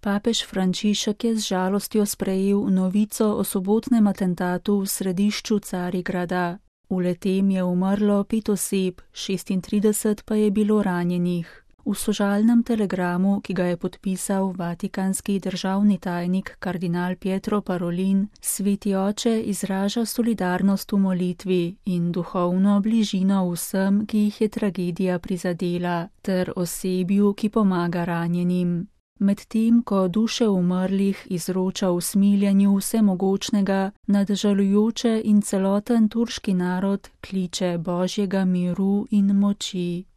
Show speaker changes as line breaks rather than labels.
Papež Frančišek je z žalostjo sprejel novico o sobotnem atentatu v središču Carigrada. V le-tem je umrlo 5 oseb, 36 pa je bilo ranjenih. V sožalnem telegramu, ki ga je podpisal vatikanski državni tajnik kardinal Pietro Parolin, Sveti oče izraža solidarnost v molitvi in duhovno bližino vsem, ki jih je tragedija prizadela, ter osebju, ki pomaga ranjenim. Medtem ko duše umrlih izroča v smiljenju vsemogočnega, nad žalujoče in celoten turški narod kliče Božjega miru in moči.